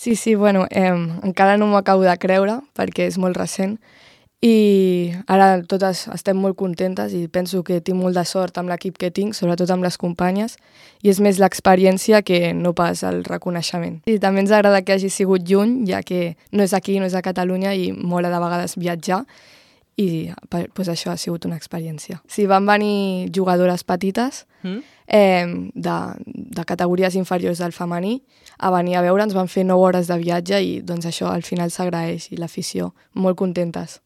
Sí, bueno, encara no m'ho acabo de creure perquè és molt recent i ara totes estem molt contentes i penso que tinc molt de sort amb l'equip que tinc, sobretot amb les companyes, i és més l'experiència que no pas el reconeixement. I també ens agrada que hagi sigut lluny, ja que no és aquí, no és a Catalunya i mola de vegades viatjar, i pues, això ha sigut una experiència. Sí, van venir jugadores petites de categories inferiors del femení a venir a veure'ns, van fer 9 hores de viatge i doncs això al final s'agraeix i l'afició, molt contentes.